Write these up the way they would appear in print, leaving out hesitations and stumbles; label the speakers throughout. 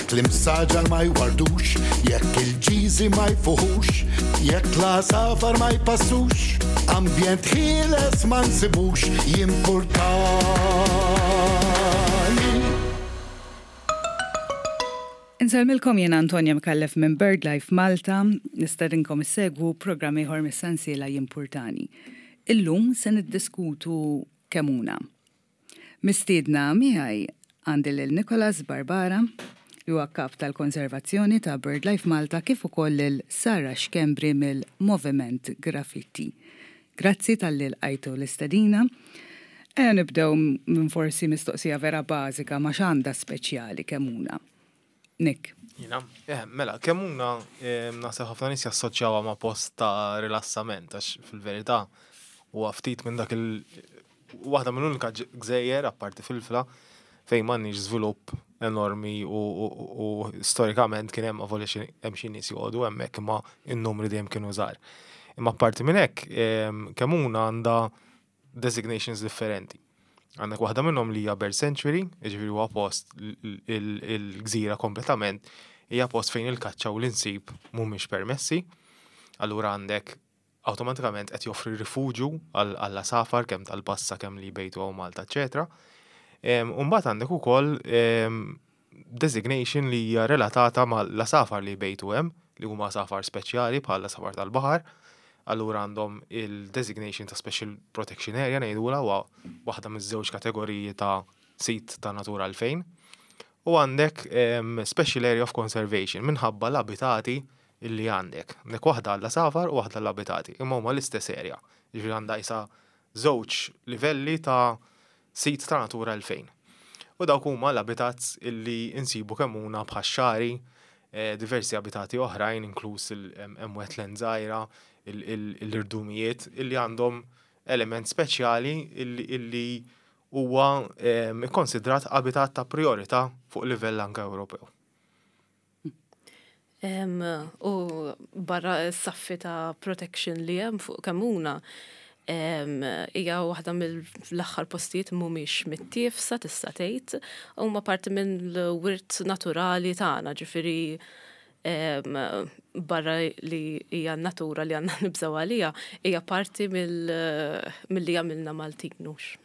Speaker 1: Jekk l-imsaġar ma jwardux, jekk il-ġiżi ma jfuħux, jekk l-għasafar ma jpassux, ambjent ħieles ma nsibux, jimpurtani.
Speaker 2: Insellmilkom jiena Antonia Micallef minn BirdLife Malta, nistedinkom issegwu programm ieħor mis-sensiela Jimpurtani. Illum se niddiskutu Kemuna. Mistiedna miegħi għandi lil Nicholas Barbara, li huwa Kap tal-Konservazzjoni ta' BirdLife Malta kif ukoll lil Sarah Schembri mill-Moviment Graffiti. Grazzi talli lqajtu l-istedina. Ejja nibdew minn forsi mistoqsija vera bażika ma x'għandha speċjali Kemuna? Nick.
Speaker 3: Jiena? Eh, mela, Kemuna eh, naħseb ħafna nies jassoċjawha ma' post ta' rilassament għax fil-verità huwa ftit minn dak il waħda mill-unika gżejjer apparti Filfla fejn m'għandniex żvilupp enormi u, u, u storikament kien hemm avolja xi hemm xi nies joqogħdu hemmhekk imma n-numri dejjem kienu żgħar. Imma apparti minn hekk, Kemuna għandha designations differenti. Għandek waħda minnhom li hija Bird Sanctuary, jiġifieri huwa post il-gżira kompletament hija post fejn il-kaċċa u l-insib mhumiex permessi. Allura għandek awtomatikament qed joffri rifuġju għall-għasafar kemm tal-passa kemm li jbejtu hawn Malta, eċetera. U mbagħad għandek ukoll designation li hija relatata mal-għasafar li jbejtu hemm, li huma għasafar speċjali bħal għasafar tal-baħar. Allura għandhom il-designation ta' Special Protection Area ngħidulha huwa waħda miż-żewġ kategoriji ta' sit ta' Natura 2000. U għandek Special Area of Conservation minħabba l-abitati illi għandek. Għandek waħda għall-għasafar u waħda għall-abitati, imma huma l-istess area. Jiġifieri għandha qisha żewġ livelli ta' sit ta' Natura 2000. U dawk huma l-habitats illi insibu kemm huna bħax-xagħri, diversi abitati oħrajn inkluż hemm wetland żgħira, l-irdumijiet illi għandhom element speċjali illi huwa ikkonsidrat abitat ta' prijorità fuq livell anke Ewropew.
Speaker 4: U barra s-saffi ta' protection li hemm fuq Kemmuna, hija waħda mill-aħħar postijiet mhumiex mittiefsa tista' tgħid, huma parti mill-wirt naturali tagħna, ġifieri barra li hija n-natura li għandna nibżgħu għaliha, hija parti milli jagħmilna Maltin hux.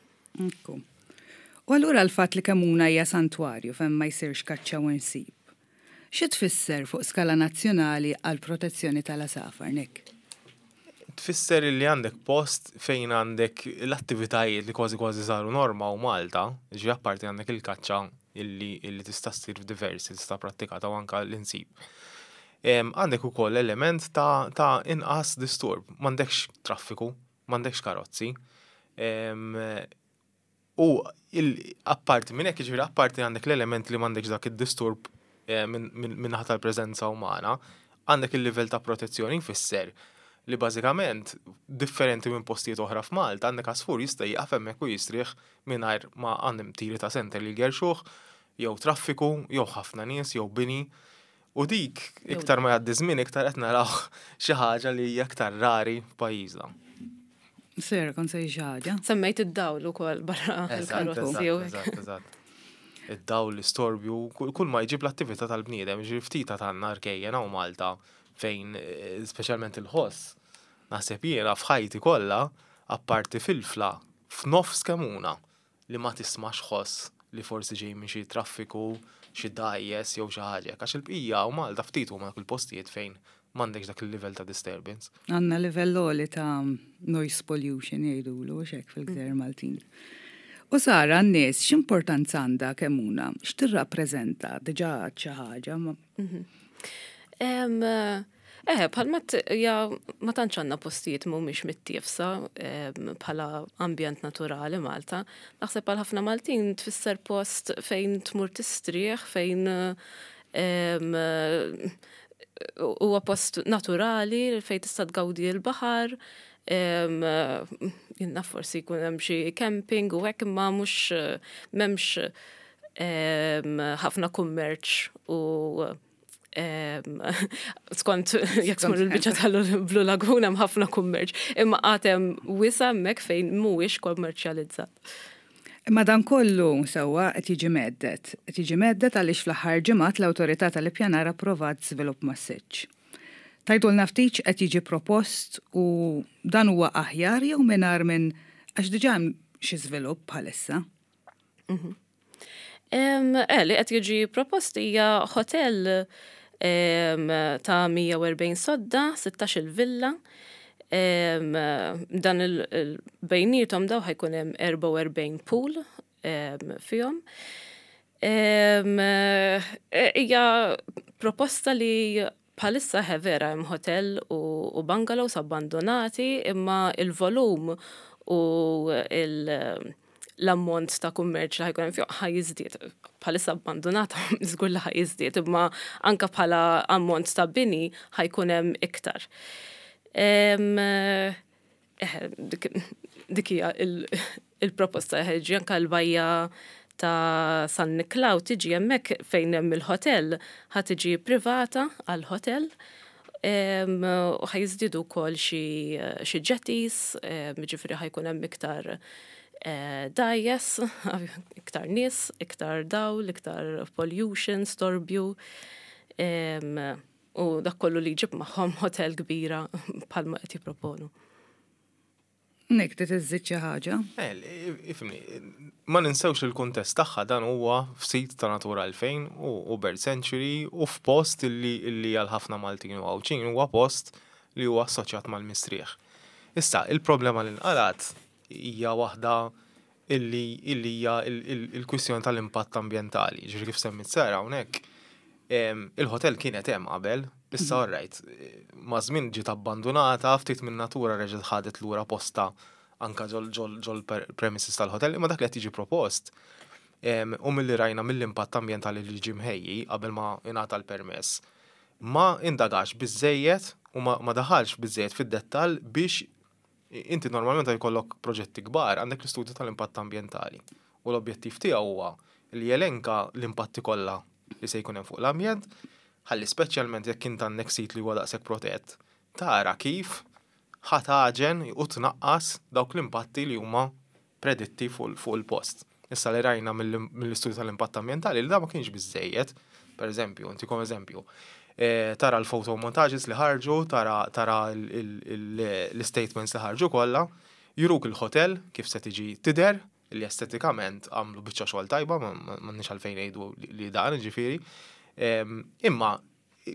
Speaker 2: Ekku. U allura l-fatt li Kemmuna hija santwarju fejn ma jsirx kaċċa u nsib, xi tfisser fuq skala nazzjonali għall-protezzjoni tal-għasafar, Nick?
Speaker 3: Tfisser li għandek post fejn għandek l-attivitajiet li kważi kważi saru norma u Malta, ġifieri apparti għandek il-kaċċa illi, illi tista' ssir f'diversi, tista' prattikata u anka l-insib. Għandek ukoll element ta', ta' inqas disturb, m'għandekx traffiku, m'għandekx karozzi. U apparti minn hekk, jiġifieri apparti għandek l-element li m'għandekx dak id-disturb eh, min-naħa tal-preżenza umana, għandek il-livell ta' protezzjoni jfisser li bażikament differenti minn postijiet oħra f'Malta għandek għasfur jista' jieqaf hemmhekk u jistrieħ mingħajr ma għandhom tiri ta' senter li jgerxuh, jew traffiku, jew ħafna nies, jew bini. U dik, iktar ma jgħaddi żmien, iktar qed naraw xi ħaġa li hija iktar rari f'pajjiżna.
Speaker 2: Sera, kont se xi ħaġa.
Speaker 4: Semmejt id-dawl ukoll barra
Speaker 3: il-karozzi. Eżatt, eżatt. Id-dawl, l-istorbju, kull ma jġib l-attività tal-bniedem, ġifieri ftit għandna rkejjen hawn Malta fejn eh, speċjalment il-ħoss. Naħseb jiena f'ħajti kollha, apparti filfla, f'nofs Kemmuna, li ma tismax ħoss li forsi ġej minn xi traffiku, xi dgħajjes jew xi ħaġa hekk, għax il-bqija u Malta ftit huma dawk il-postijiet fejn m'għandekx dak il-livell ta' disturbance.
Speaker 2: Għandna livell għoli ta' noise pollution jgħidulu hux hekk fil-gżejjer Maltin. U Sara, għan-nies x'importanza għandha Kemmuna? X'tirrappreżenta? Diġà għedt xi ħaġa ma.
Speaker 4: Eh, bħalma ja ma tantx għandna postijiet mhumiex mittiefsa bħala ambjent naturali Malta. Naħseb għal ħafna Maltin tfisser post fejn tmur tistrieħ, fejn huwa post naturali fejn tista' tgawdi l-baħar. Jiena forsi jkun hemm xi camping u hekk imma mhux m'hemmx ħafna kummerċ u skont jekk tmur il-biċċa tal-Blue Lagoon hemm ħafna kummerċ, imma għad hemm wisa' hemmhekk fejn mhuwiex kommerċjalizzat.
Speaker 2: Imma dan kollu sewwa qed jiġi mhedded. Qed jiġi mhedded għaliex fl-aħħar ġimgħat l-Awtorità tal-Ippjanar approvat żvilupp massiċċ. Tgħidulna ftit x'qed jiġi propost u dan huwa aħjar jew mingħajr minn għax diġà hemm xi żvilupp bħalissa.
Speaker 4: Eh, li qed jiġi propost hija hotel ta' 140 sodda, 16 il-villa. Dan il-bejnietom daw ħa jkun hemm 44 pool fihom. Hija proposta li bħalissa he vera hemm hotel u bungalows abbandonati, imma il-volum u l-ammont ta' kummerċ li ħa jkun hemm fihom ħa jiżdied. Bħalissa abbandonata żgur li ħa jiżdied, imma anka bħala ammont ta' bini ħa jkun hemm iktar. Dik hija il-proposta, ġi anka l-bajja ta' San Niklaw tiġi hemmhekk fejn hemm il-hotel, ħa tiġi privata għal-hotel u ħa jiżdiedu wkoll xi jetties, ġifieri ħa jkun hemm iktar dgħajjes, iktar nies, iktar dawl, iktar pollution, storbju. U dak kollu li jġib magħhom hotel kbira bħalma qed jipproponu.
Speaker 2: Nick, trid iżżid xi ħaġa?
Speaker 3: Ifhimni, ma ninsewx li l-kuntest tagħha dan huwa f'sit ta' Natura 2000 u Bird Sanctuary u f'post illi għal ħafna Maltin u Għawdxin huwa post li huwa assoċjat mal-mistrieħ. Issa, il-problema li nqalgħet hija waħda illi hija il-kwistjoni tal-impatt ambjentali. Ġifieri kif semmit Sara hawnhekk, il-hotel kienet hemm qabel, issa all right, ma' żmien ġiet abbandunata, ftit minn natura reġgħet ħadet lura posta anka ġol premises tal-hotel, imma dak li qed jiġi propost u milli rajna mill-impatt ambjentali li ġie mħejji qabel ma ingħata l-permess, ma indagax biżejjed u ma daħalx biżejjed fid-dettall biex inti normalment jkollok proġetti kbar, għandek l-istudju tal-impatt ambjentali. U l-objettiv tiegħu huwa li jelenka l-impatti kollha li se jkun hemm fuq l-ambjent, ħalli speċjalment jekk int għandek sit li huwa daqshekk protett, tara kif ħa taġen u tnaqqas dawk l-impatti li huma preditti fuq il-post. Issa li rajna mill-istudju tal-impatt ambjentali li da ma kienx biżejjed, per eżempju, ntikom eżempju, tara l-photo montages li ħarġu, tara l-statements li ħarġu kollha, juruk il-hotel kif se tiġi tidher, li estetikament għamlu biċċa xogħol tajba, m'għandniex għalfejn ngħidu li dan, ġifieri. Imma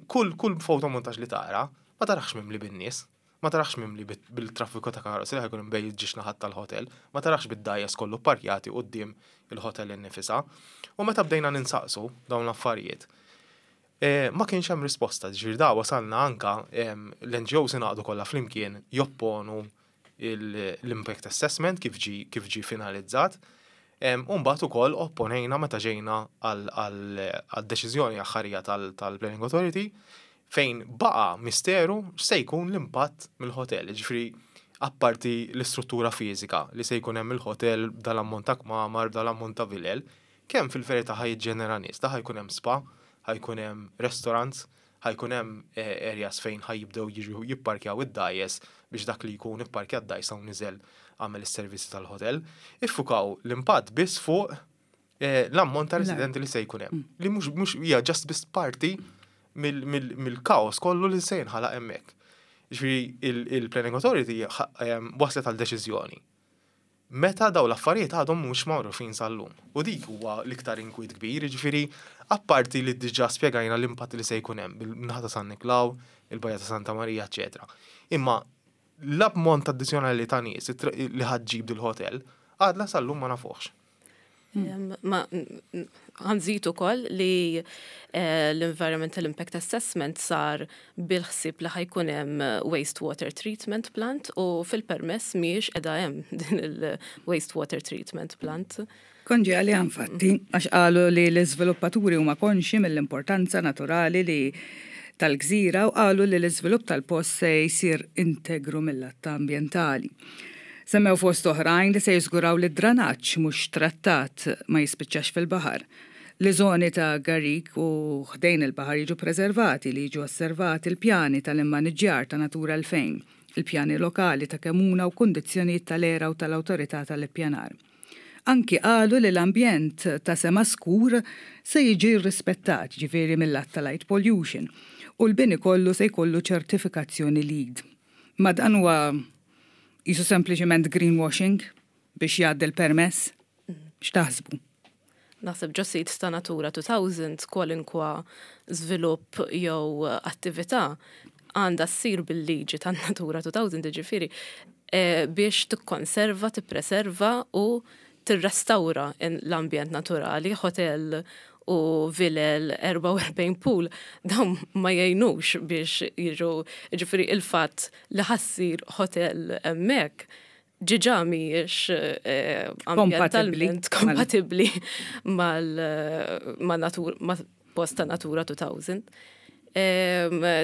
Speaker 3: kull photo montage li tara, ma tarax mimli bin-nies, ma tarax mimli bil-traffiku ta' karozzi li ħa jkun bejn iż-żewġ naħat tal-hotel, ma tarax bid-dgħajjes kollu parkjati quddiem il-hotel innifisha. U meta bdejna ninsaqsu dawn l-affarijiet, ma kienx hemm risposta, ġifieri da wasalna anka l-NGOs ingħaqdu kollha flimkien jopponu l-impact assessment kif ġi finalizzat. U mbagħad ukoll opponejna meta ġejna għal-deċiżjoni aħħarija tal-Planning Authority fejn baqa misteru x'se jkun l-impatt mill-hotel. Ġifieri apparti l-istruttura fiżika li se jkun hemm il-hotel dal-ammont ta' kmamar, dal-ammont ta' vilel, kemm fil-verità ħa jiġġenera nies, da ħa jkun hemm spa, ħa jkun hemm restaurants, ħa jkun hemm areas fejn ħa jibdew jiġu jipparkjaw id-dgħajjes biex dak li jkun ipparkja d-dgħajsa u niżel għamel is-servizzi tal-hotel. Iffukaw l-impatt biss fuq l-ammont ta' residenti li se jkun hemm. Li mhux hija just biss parti mill-kaos kollu li se jinħalaq hemmhekk. Ġifieri il-Planning Authority waslet għal deċiżjoni meta daw l-affarijiet għadhom mhux magħrufin sal-lum. U dik huwa l-iktar inkwiet kbir, ġifieri apparti li diġà spjegajna l-impatt li se jkun hemm bil-naħa ta' San Niklaw, il-Bajja ta' Santa Marija, eċetera. Imma l-ammont addizzjonali ta' nies li ħa ġġib dil-hotel għadna sal-lum ma nafuħx.
Speaker 4: Ma ħa nżid ukoll li l-Environmental Impact Assessment sar bil-ħsieb li ħa jkun hemm wastewater treatment plant u fil-permess mhijiex qiegħda hemm din il-wastewater treatment plant.
Speaker 2: Kont ġejja għaliha infatti, għax qalu li l-iżviluppaturi huma konxi mill-importanza naturali li tal-gżira u qalu li l-iżvilupp tal-post se jsir integru mill-att ambientali. Semmew fost oħrajn li se jiżguraw li d-dranaġġ mhux trattat ma jispiċċax fil-baħar. Li żoni ta' garik u ħdejn il-baħar jiġu preservati, li jiġu osservati l-pjani tal-immaniġġjar ta' Natura 2000, il-pjani lokali ta' Kemuna u kundizzjonijiet tal-ERA u tal-Awtorità tal-Ippjanar. Anki qalu li l-ambjent ta' sema skur se jiġi rrispettat, ġifieri mil-lat ta' light pollution, u l-bini kollu se jkollu ċertifikazzjoni LEED. Ma dan huwa qisu sempliċement greenwashing biex jgħaddi l-permess? X'taħsbu?
Speaker 4: Naħseb ġo sit ta' Natura 2000 kwalinkwa żvilupp jew attività għandha ssir bil-liġi ta' Natura 2000 jiġifieri eh, biex tikkonserva, tippreserva u tirrestawra l-ambjent naturali, hotel u vilel 44 pool, dawn ma jgħinux biex jiġu, ġifieri il-fatt li ħa ssir hotel hemmhekk ġiġa mhijiex eh, ambjentalment kompatibbli mal-natur, ma' post ta' Natura 2000.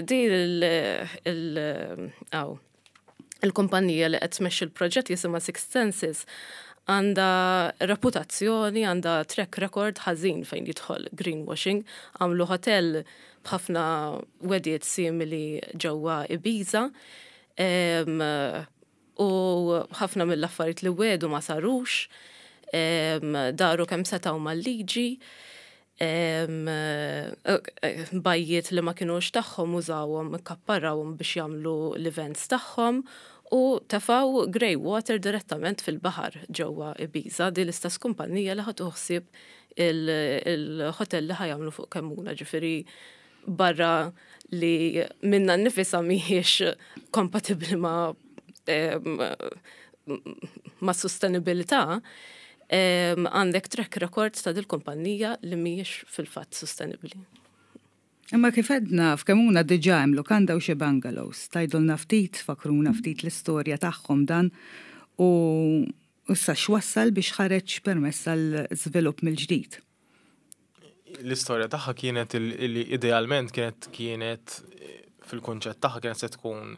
Speaker 4: Din il-kumpanija li qed tmexxi l-proġett jisimha Six Senses għandha reputazzjoni, għandha track record ħażin fejn jidħol greenwashing, għamlu hotel b'ħafna wegħdiet simili ġewwa Ibiza. U ħafna mill-affarijiet li wedu ma sarux, daru kemm setgħu mal-liġi, bajjiet li ma kinux tagħhom użawhom, ikkapparrawhom biex jagħmlu l-events tagħhom u tefgħu grey water direttament fil-baħar ġewwa Ibiza, din l-istess kumpanija li ħa tieħu ħsieb il-hotel li ħa jagħmlu fuq Kemmuna, ġifieri barra li minna nnifisha mhijiex kompatibbli ma' ma' sostenibilità, għandek track record ta' dil-kumpanija li mhijiex fil-fatt sostenibbli.
Speaker 2: Imma kif għedna, f'Kemmuna diġà hemm lukanda u xi bungalows. Tgħidulna ftit, tfakkruna ftit l-istorja tagħhom dan u issa x'wassal biex ħareġ permess għal żvilupp mill-ġdid?
Speaker 3: L-istorja tagħha kienet li idealment kienet kienet fil-kunċett tagħha kienet se tkun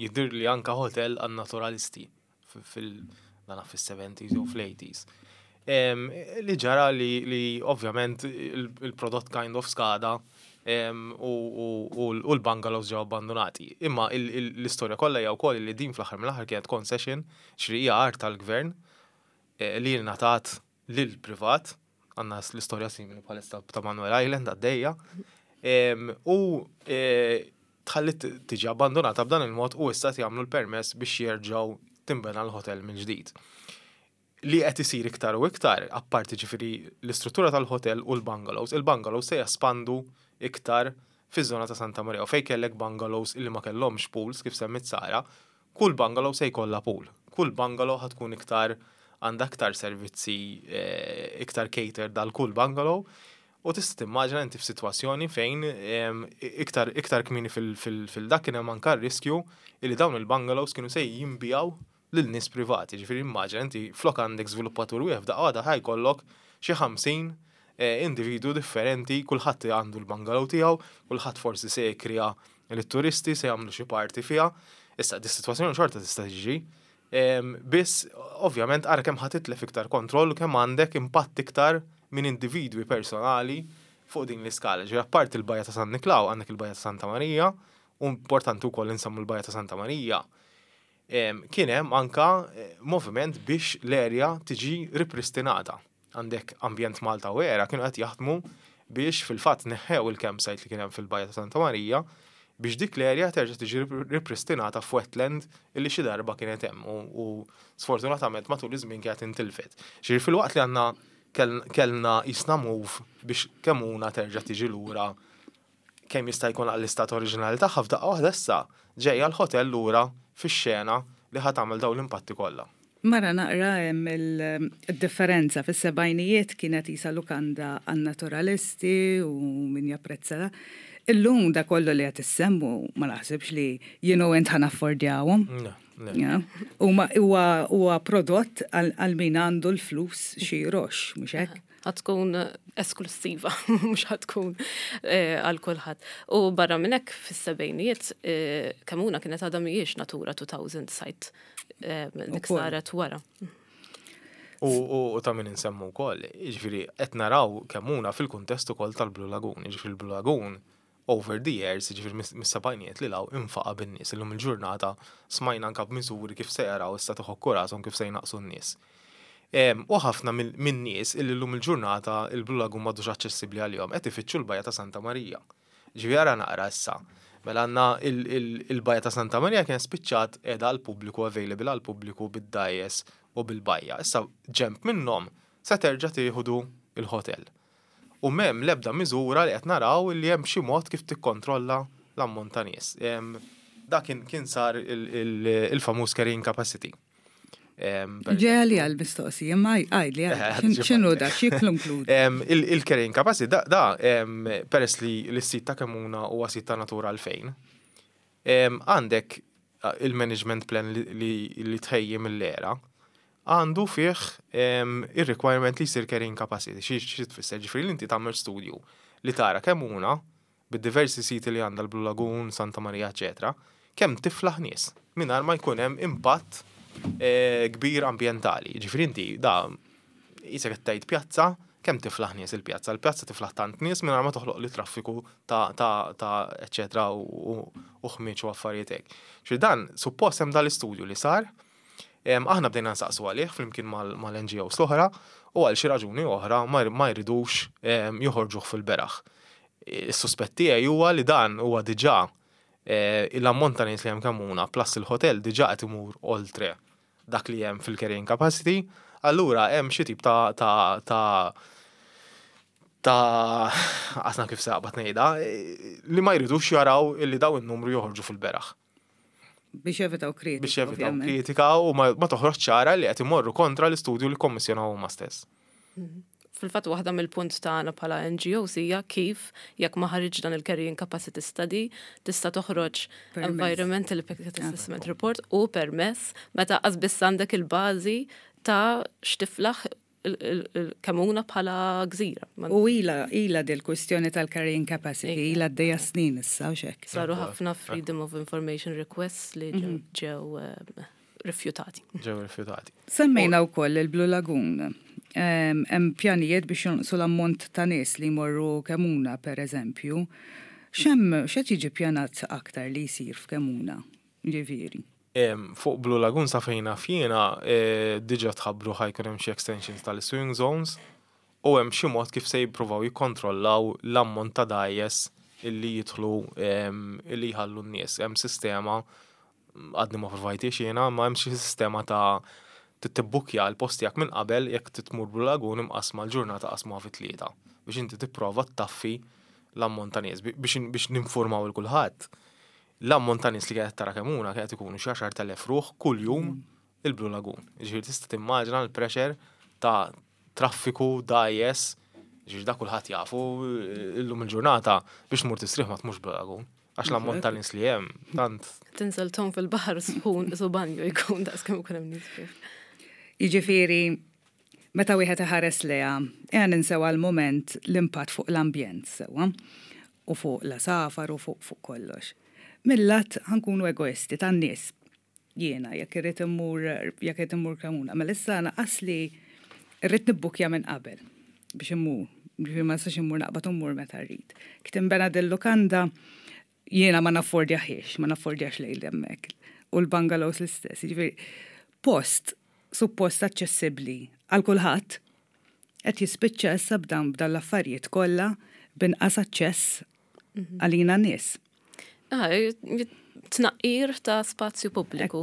Speaker 3: jidhir li anka hotel għan naturalisti fil dana fis-70s jew fl-80s. Li ġara li ovvjament il-prodott kind of skada u l-bungalows ġew abbandonati. Imma l-istorja kollha hija wkoll li din fl-aħħar mill-aħħar kienet concession, ġifieri hija art tal-gvern eh, li ngħatat lill-privat, għandna l-istorja simili bħalissa ta' Manuel Island għaddejja, u e, tħallit tiġi abbandonata b'dan il-mod u issa jagħmlu l-permess biex jerġgħu timbena l-hotel minn ġdid. Li qed isir iktar u iktar, apparti ġifieri l-istruttura tal-hotel u l-bungalows, il-bungalows se jespandu iktar fiż-żona ta' Santa Maria u fejn kellek bungalows illi ma kellhomx pools kif semmit Sara, Kull bungalow se jkollha pool. Kull bungalow ħa tkun iktar għandha iktar servizzi iktar catered għal kull bungalow u tista' timmaġina inti f'sitwazzjoni fejn iktar iktar kmieni fil-dak kien hemm anke r-riskju li dawn il-bungalows kienu se jinbiegħu lil nies privati. Ġifieri immaġina inti flok għandek żviluppatur wieħed f'daqqa waħda ħa jkollok xi 50 individwu differenti, kulħadd għandu l-bungalow tiegħu, kulħadd forsi se jikkrea lit-turisti se jagħmlu xi party fiha. Issa, dis-sitwazzjoni xorta tista' tiġri. Biss, ovvjament, ara kemm ħa titlef iktar kontroll u kemm għandek impatt iktar minn individwi personali fuq din l-iskala. Ġifieri apparti l-Bajja ta' San Niklaw, għandek il-Bajja ta' Santa Marija, u importanti wkoll insemmu l-Bajja ta' Santa Marija. Kien hemm anka moviment biex l-erja tiġi ripristinata. Għandek Ambjent Malta u ERA kienu qed jaħdmu biex fil-fatt neħħew il-campsite li kien hemm fil-Bajja ta' Santa Marija biex dik l-area terġa' tiġi ripristinata f'wetland illi xi darba kienet hemm u sfortunatament matul iż-żmien kienet intilfet. Ġifieri filwaqt li għandna kellna qisna move biex Kemmuna terġa' tiġi lura kemm jista' jkun għall-istat oriġinali tagħha f'daqqa waħda issa ġejja l-ħotel lura fix-xena li ħa tagħmel dawn l-impatti kollha.
Speaker 2: Mara naqra hemm il-differenza. Fis-sebgħinijiet kienet qisha lukanda għan-naturalisti u min japprezza. Illum dak kollu li qed issemmu ma naħsibx li jien u int ħa naffordjawhom. Huma huwa prodott għal min għandu l-flus xi jroxx, mhux hekk?
Speaker 4: Ħa tkun esklussiva, mhux ħa tkun eh, għal kulħadd. U barra minn hekk fis-sebgħinijiet eh, Kemmuna kienet għadha mhijiex Natura 2000 site eh, dik saret wara.
Speaker 3: U ta' min insemmu wkoll, jiġifieri qed naraw Kemmuna fil-kuntest ukoll tal-Blue Lagoon, jiġifieri l-Blue Lagoon over the years, jiġifieri mis-sebgħinijiet li law infaqa' bin-nies. Illum il-ġurnata smajna anke b'miżuri kif se jaraw issa tħokku rashom kif se jnaqqsu n-nies. U ħafna min-nies illi llum il-ġurnata il-Blue Lagoon m'għadux aċċessibbli għalihom qed ifittxu l-Bajja ta' Santa Marija. Ġifieri ara naqra issa. Mela għandna il-Bajja ta' Santa Marija kienet spiċċat qiegħda għall-pubbliku available għall-pubbliku bid-dgħajjes u bil-bajja. Issa ġenb minnhom se terġa' tieħdu l-hotel. U m'hemm l-ebda miżura li qed naraw li hemm xi mod kif tikkontrolla l-ammont ta' nies. Dak kien sar il-famuż carrying capacity.
Speaker 2: Ġeja li għal-mistoqsija, ma għajli, xinu da, xie klunklud?
Speaker 3: Il-carrying capacity, da, peress li l-sit ta' Kemmuna huwa sit ta' natura 2000, għandek il-management plan li tħejji mill-ERA, għandu fih il-requirement li jsir carrying capacity, xi tfisser, ġifieri li inti tagħmel studju li tara Kemmuna bid-diversi siti li għandha l-Blue Lagoon, Santa Maria, eccetera, kemm tiflaħ nies mingħajr ma jkun hemm impatt kbir ambjentali. Ġifieri inti da qisek qed tgħid pjazza, kemm tiflaħ nies il-pjazza? Il-pjazza tiflaħ tant nies mingħajr ma toħloq li traffiku ta' eccetera u ħmieġ u affarijiet hekk. Ġifieri dan suppost hemm dal-istudju li sar, aħna bdejna nsaqsu għalih flimkien mal-NGOs l-oħra u għal xi raġuni oħra ma jridux joħorġuh fil-beraħ. Is-suspett tiegħi huwa li dan huwa diġà l-ammont ta' nies li hemm Kemmuna plus il-hotel diġà qed imur oltre dak li hemm fil-carrying capacity, allura hemm xi tip ta' qasna kif saqbat ngħidha li ma jridux jaraw illi daw in-numru joħorġu fil-beraħ.
Speaker 2: Biex jevitaw kritika.
Speaker 3: Biex jevitaw kritika u ma toħroġ ċara li qed imorru kontra l-istudju li kommissjonaw huma stess.
Speaker 4: Fil-fatt waħda mill-punt tagħna bħala NGOs hija kif jekk ma ħareġ dan il-carrying capacity study tista' toħroġ environmental impact assessment report u permess meta biss għandek il-bażi ta' x'tiflaħ il-Kemmuna bħala gżira.
Speaker 2: U ila dil-kwistjoni tal-carrying capacity, ila d snin issa, u xek.
Speaker 4: Saru ħafna Freedom of Information requests li ġew rifjutati.
Speaker 3: Ġew rifjutati.
Speaker 2: Semmejna wkoll il-Blue Lagoon. Hemm pjanijiet biex jonqsu l-ammont ta' nies li jmorru Kemmuna, per eżempju. X'hemm x'qed jiġi pjanat aktar li jsir f'Kemmuna, ġifieri?
Speaker 3: Fuq Blue Lagoon sa fejn naf jiena diġà tħabbru ħa jkun hemm xi extensions tal-swimming zones u hemm xi mod kif se jippruvaw jikkontrollaw l-ammont ta' dgħajjes illi jidħlu illi jħallu n-nies. Hemm sistema għadni ma provajtix jiena, ma hemm xi sistema ta' tibbukja l-post tiegħek minn qabel jekk titmur Blue Lagoon imqasma l-ġurnata qasmuha fi tlieta biex inti tipprova ttaffi l-ammont ta' nies biex ninformaw il kulħadd. L-ammont ta' nies li qed tara Kemmuna qed ikunu xi 10,000 ruħ kuljum il-Blue Lagoon. Ġifieri tista' timmaġina l-pressure ta' traffiku, dgħajjes, ġifieri da kulħadd jafu illum il-ġurnata biex tmur tistrieħ ma tmurx Blue Lagoon. Għax l-ammont ta' nies li hemm tant.
Speaker 4: Tinżel tgħum fil-baħar sħun su banju jkun daqs kemm ikun hemm nies fih.
Speaker 2: Jiġifieri, meta wieħed iħares leha, ejja ninsew għal moment l-impatt fuq l-ambjent sewwa u fuq l-għasafar u fuq kollox. Mil-lat ħa nkunu egoisti tan-nies. Jiena jekk irrid immur jekk irrid immur Kemmuna, mela issa naqas li rrid nibbukja minn qabel biex immur. Ġifieri ma nistax immur naqbad u mmur meta rrid. Kif tinbena dil-lukanda jiena ma naffordjaħiex, ma naffordjax lejl hemmhekk. U l-bungalows l-istess. Ġifieri post suppost aċċessibbli għal kulħadd qed jispiċċa issa b'dan b'dan l-affarijiet kollha b'inqas aċċess għalina nies.
Speaker 4: Ah, tnaqqir ta' spazju pubbliku.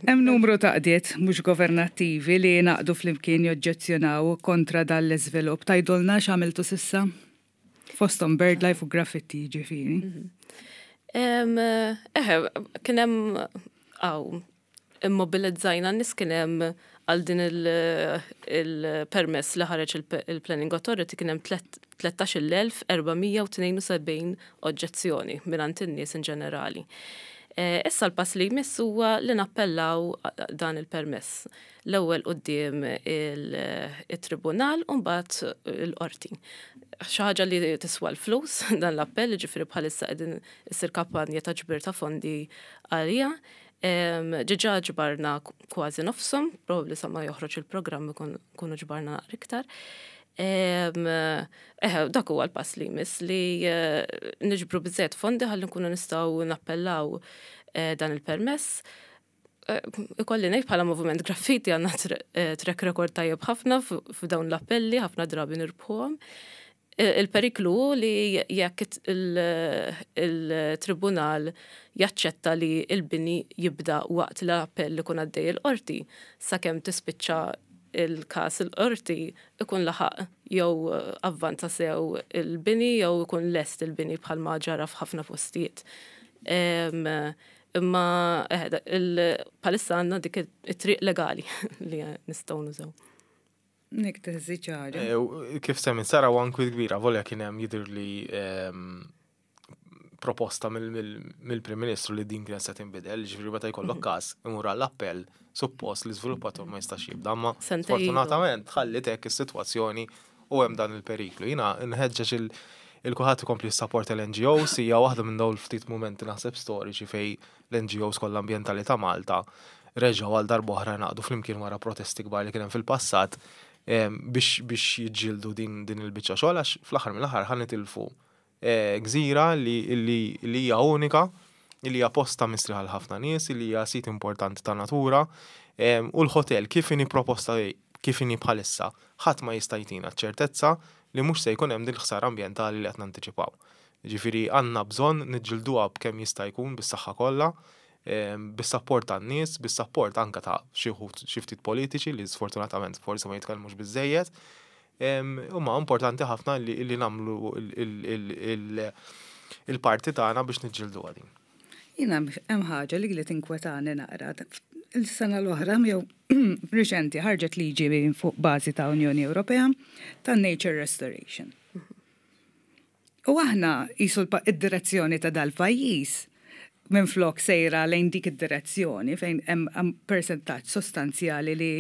Speaker 2: Hemm numru ta' għaqdiet mhux governattivi li ngħaqdu flimkien joġġezzjonaw kontra dan l-iżvilupp. Tgħidulna x'għamiltu s'issa? Fosthom BirdLife u Graffiti ġifieri.
Speaker 4: Eħe, kien hemm għaw, immobilizzajna n-nies kien hemm għal din il-permess li ħareġ il-Planning Authority kien hemm 13,472 oġġezzjoni minn in-nies in ġenerali. Issa l-pass li jmiss huwa li nappellaw dan il-permess. L-ewwel quddiem il-tribunal u mbagħad il-qorti. Xi ħaġa li tiswa l-flus dan l-appell, ġifieri bħalissa qegħdin issir kampanja ta' ġbir ta' fondi għalija. Diġà ġbarna kważi nofshom, probabbli sa ma joħroġ il-programm ikunu ġbarna naqra iktar. Eħe, dak huwa l-pass li jmiss li niġbru biżżejjed fondi ħalli nkunu nistgħu nappellaw dan il-permess. Ikolli ngħid bħala Moviment Graffiti għandna track record tajjeb ħafna f'dawn l-appelli, ħafna drabi nirbħuhom. Il-periklu hu li jekk il-tribunal jaċċetta li l-bini jibda waqt l-appell ikun għaddej il-qorti, sakemm tispiċċa il-każ il-qorti ikun laħaq jew avvanza sew il-bini jew ikun lest il-bini bħalma ġara f'ħafna postijiet. Imma bħalissa għandna dik it-triq legali li nistgħu nużaw.
Speaker 2: Nik teżi ċara.
Speaker 3: Kif semmi Sara u anki kbira, volja kien hemm jidher li proposta mill-Prim Ministru li din kienet se tinbidel, ġifieri meta jkollok każ imur għall-appell, suppost li żviluppatur ma jistax jibda, ma sfortunatament ħallit hekk is-sitwazzjoni u hemm dan il-periklu. Jiena nħeġġeġ il-kulħadd ikompli jissapporta l-NGOs, hija waħda minn dawn il-ftit mumenti naħseb storiċi fejn l-NGOs kollha ambjentali ta' Malta reġgħu għal darb'oħra ngħaqdu flimkien wara protesti kbar li kien hemm fil-passat biex biex jiġġieldu din din il-biċċa xogħol għax fl-aħħar mill-aħħar ħa nitilfu gżira li li hija unika, li hija post ta' mistrieħ għal ħafna nies, li hija sit importanti ta' natura u l-hotel kif inhi proposta kif inhi bħalissa ħadd ma jista' jtina ċ-ċertezza li mhux se jkun hemm din il-ħsara ambjentali li qed nantiċipaw. Jiġifieri għandna bżonn niġġilduha b'kemm jista' jkun bis-saħħa kollha, bis-sapport tan-nies, bis-sapport anke ta' xi wħud xi ftit politiċi li sfortunatament forsi ma jitkellmux biżżejjed. Imma importanti ħafna li nagħmlu il-parti tagħna biex niġġilduha din.
Speaker 2: Jiena hemm ħaġa li li tinkwetani naqra. Il-sena l-oħra jew riċenti ħarġet liġi fuq bażi ta' Unjoni Ewropea ta' Nature Restoration. U aħna qisu id-direzzjoni ta' dal-pajjiż minn flok sejra lejn dik id-direzzjoni fejn hemm persentaġġ sostanzjali li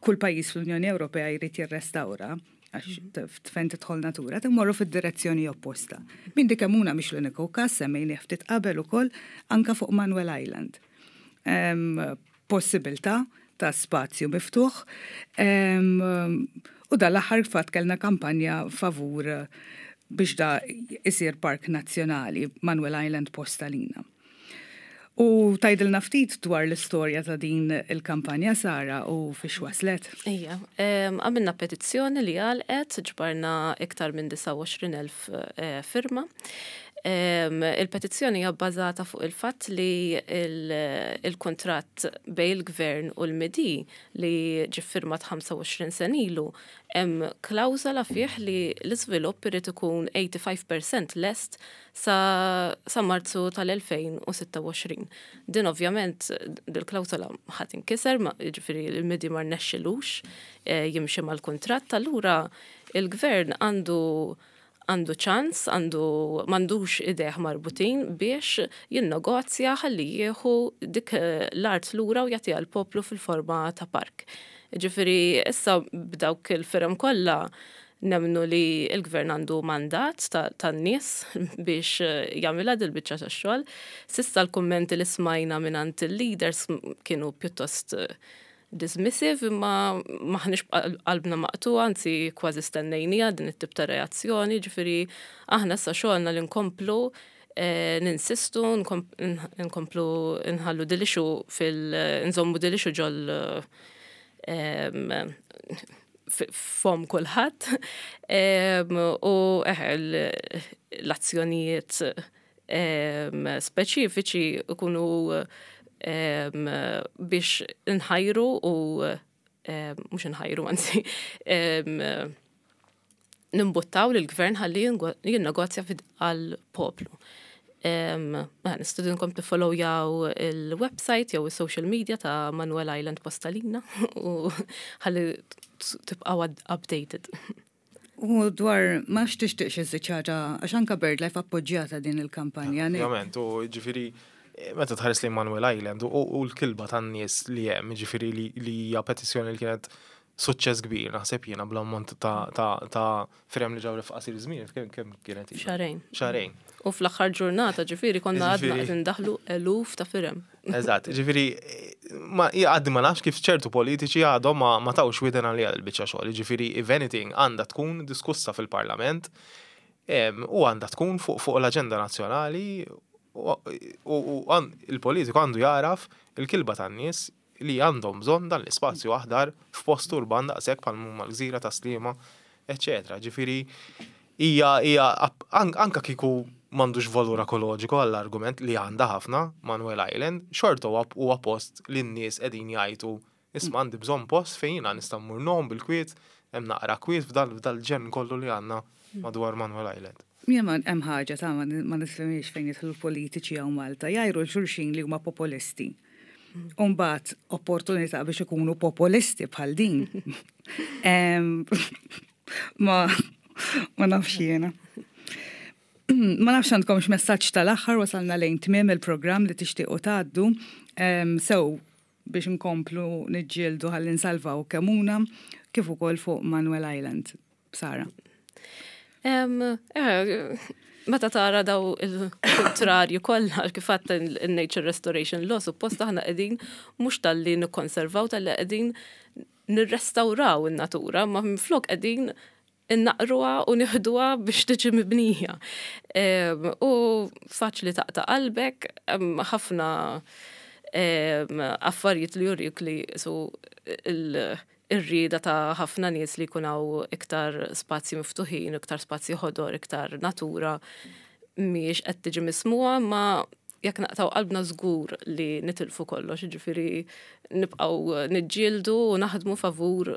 Speaker 2: kull pajjiż fl-Unjoni Ewropea jrid jirrestawra għax fejn tidħol natura, timmorru fid-direzzjoni opposta. Min dik Kemmuna mhix l-uniku każ semmejni ftit qabel ukoll anka fuq Manuel Island. Possibilità ta' spazju miftuħ u dal-aħħar fatt kellna kampanja favur biex da isir park nazzjonali Manuel Island Postalina. U tgħidilna ftit dwar l-istorja ta' din il-kampanja, Sara, u fiex waslet?
Speaker 4: Ija, għamilna petizzjoni li għalqet, ġbarna iktar minn 29,000 firma. Il-petizzjoni hija bbażata fuq il-fatt li il-kuntratt bejn il-gvern u l-MIDI li ġie ffirmat 25 sena ilu hemm klawżola fih li l-iżvilupp irid ikun 85% lest sa, sa Marzu tal-2026. Din ovvjament dil-klawżola ħa tinkiser, jiġifieri l-MIDI ma rnexxilux jimxi mal-kuntratt, allura il-gvern għandu għandu ċans, għandu m'għandux idejh marbutin biex jinnegozja ħalli jieħu dik l-art lura u jagħtiha l-poplu fil-forma ta' park. Ġifieri issa b'dawk il-firem kollha nemmnu li l-gvern għandu mandat tan-nies biex jagħmilha dil-biċċa tax-xogħol. S'issa l-kummenti li smajna mingħand il-leaders kienu pjuttost dismissive, imma maħniex qalbna maqtugħa, anzi kważi stennejniha din it-tip ta' reazzjoni, ġifieri aħna issa xogħolna li nkomplu ninsistu, nkomplu nħallu dil-issue fil nżommu dil-issue ġol fom kulħadd u l-azzjonijiet speċifiċi ikunu biex nħajru u mhux nħajru anzi nimbuttaw lill-gvern ħalli jinnegozja għall-poplu. Nistedinkom tiffollowjaw il-website jew is-social media ta' Manuel Island Postalina u ħalli tibqgħu updated.
Speaker 2: U dwar ma x'tixtieqx iżid xi ħaġa għax anke BirdLife appoġġjata din il-kampanja.
Speaker 3: Ovvjament, u ġifieri meta tħares lejn Manuel Island u l-kilba tan-nies li hemm, ġifieri li hija petizzjoni li kienet suċċess kbir, naħseb jiena bl-ammont ta' firem li ġew f'qasir żmien, kemm kienet?
Speaker 4: Xahrejn.
Speaker 3: Xahrejn.
Speaker 4: U fl-aħħar ġurnata ġifieri konna għadna qed indaħlu eluf ta' firem.
Speaker 3: Eżatt, ġifieri ma għaddi ma nafx kif ċertu politiċi għadhom ma tawx widen għalija l-biċċa xogħol, ġifieri if anything għandha tkun diskussa fil-Parlament u għandha tkun fuq l-aġenda nazzjonali. U il-politiku għandu jagħraf il-kilba tan-nies li għandhom bżonn dan l-ispazju aħdar f'post urban daqshekk bħal huma l-gżira ta' Sliema, eċċetera. Ġifieri hija hija anka kieku m'għandux valur ekoloġiku għall-argument li għandha ħafna Manuel Island, xorta huwa post li n-nies qegħdin jgħajtu isma' għandi bżonn post fejn jiena nista' mmur ngħum bil-kwiet, hemm naqra kwiet f'dal-ġenn kollu li għandna madwar Manuel Island.
Speaker 2: Jien hemm ħaġa ta' ma nifhimhiex fejn jidħlu l-politiċi hawn Malta, jgħajru 'l xulxin li huma populisti. U mbagħad opportunità biex ikunu populisti bħal din. Ma ma nafx jiena. Ma nafx għandkomx messaġġ tal-aħħar wasalna lejn tmiem il-programm li tixtiequ tgħaddu sew biex nkomplu niġġieldu ħalli nsalvaw Kemuna kif ukoll fuq Manuel Island. Sara.
Speaker 4: Eh, meta tara daw il-kontrarju kollha kif għadt il-Nature Restoration Law, suppost aħna qegħdin mhux talli nikkonservaw talli qegħdin nirrestawraw in-natura, ma minflok qegħdin innaqruha u nieħduha biex tiġi mibnija. U faċli taqta' qalbek, ħafna affarijiet li jurik li su ir-rieda ta' ħafna nies li jkun hawn iktar spazji miftuħin, iktar spazji ħodor, iktar natura mhijiex qed tiġi mismugħa, ma jekk naqtgħu qalbna żgur li nitilfu kollox, jiġifieri nibqgħu niġġieldu u naħdmu favur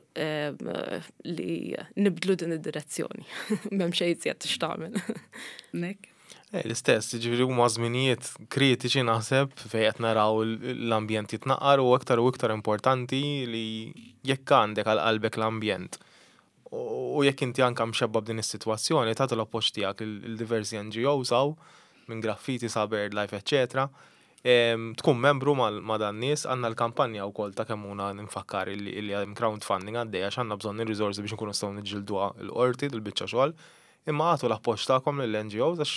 Speaker 4: li nibdlu din id-direzzjoni. M'hemm xejn iżjed x'tagħmel.
Speaker 2: Nick?
Speaker 3: Eh, l-istess, ġifieri huma żminijiet kritiċi naħseb fejn qed naraw l-ambjent jitnaqqar u aktar u iktar importanti li jekk għandek għal qalbek l-ambjent u jekk inti anka mxebba b'din is-sitwazzjoni tagħti l-appoġġ tiegħek lil diversi NGOs hawn minn Graffiti sa BirdLife eċċetera. Tkun membru ma' dan nies, għandna l-kampanja wkoll ta' Kemmuna nfakkar illi hemm crowdfunding għaddej għax għandna bżonn ir-riżorsi biex inkunu nistgħu niġġilduha l-qorti dil-biċċa xogħol. Imma agħtu l-appoġġ tagħkom lill-NGOs għax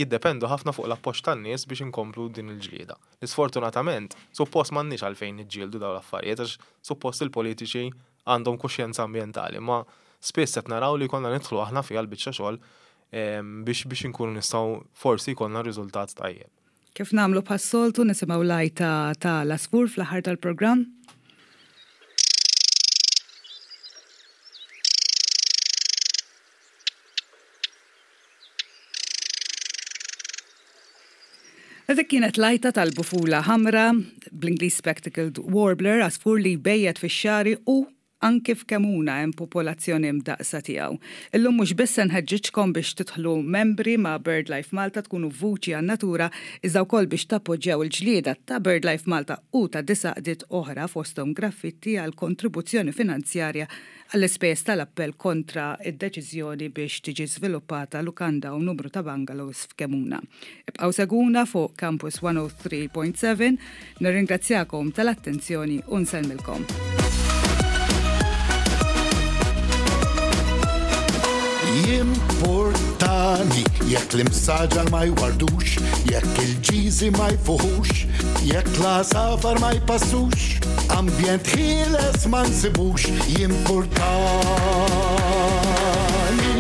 Speaker 3: jiddependu ħafna fuq l-appoġġ tan-nies biex inkomplu din il-ġlieda. Li sfortunatament, suppost m'għandniex għalfejn niġġieldu dawn l-affarijiet għax suppost il-politiċi għandhom kuxjenza ambjentali, imma spiss qed naraw li jkollna nidħlu aħna fiha l-biċċa xogħol biex biex inkunu nistgħu forsi jkollna riżultat tajjeb.
Speaker 2: Kif nagħmlu bħas-soltu nisimgħu l-għajta ta' l-għasfur fl-aħħar tal-programm. Dik kienet l-għajta tal-bufula ħamra, bl-Ingliż spectacled warbler, għasfur li jbejjet fix-xagħri u anki f'Kemuna hemm popolazzjoni mdaqqsa tiegħu. Illum mhux biss se nħeġġiġkom biex tidħlu membri ma' BirdLife Malta tkunu vuċi għan-natura iżda wkoll biex tappoġġjaw il-ġlieda ta' BirdLife Malta u ta' disa' għaqdiet oħra fosthom Graffitti għal kontribuzzjoni finanzjarja għall-ispejjeż tal-appell kontra d-deċiżjoni biex tiġi żviluppata lukanda u numru ta' bungalows f'Kemuna. Ibqgħu segwuna fuq Campus 103.7, nirringrazzjakom tal-attenzjoni u nsellmilkom.
Speaker 1: Jimportani jekk l-imsaġar ma jwardux, jekk il-ġiżi ma jfuħux, jekk l-għasafar ma jpassux, ambjent ħieles ma nsibux, jimpurtani.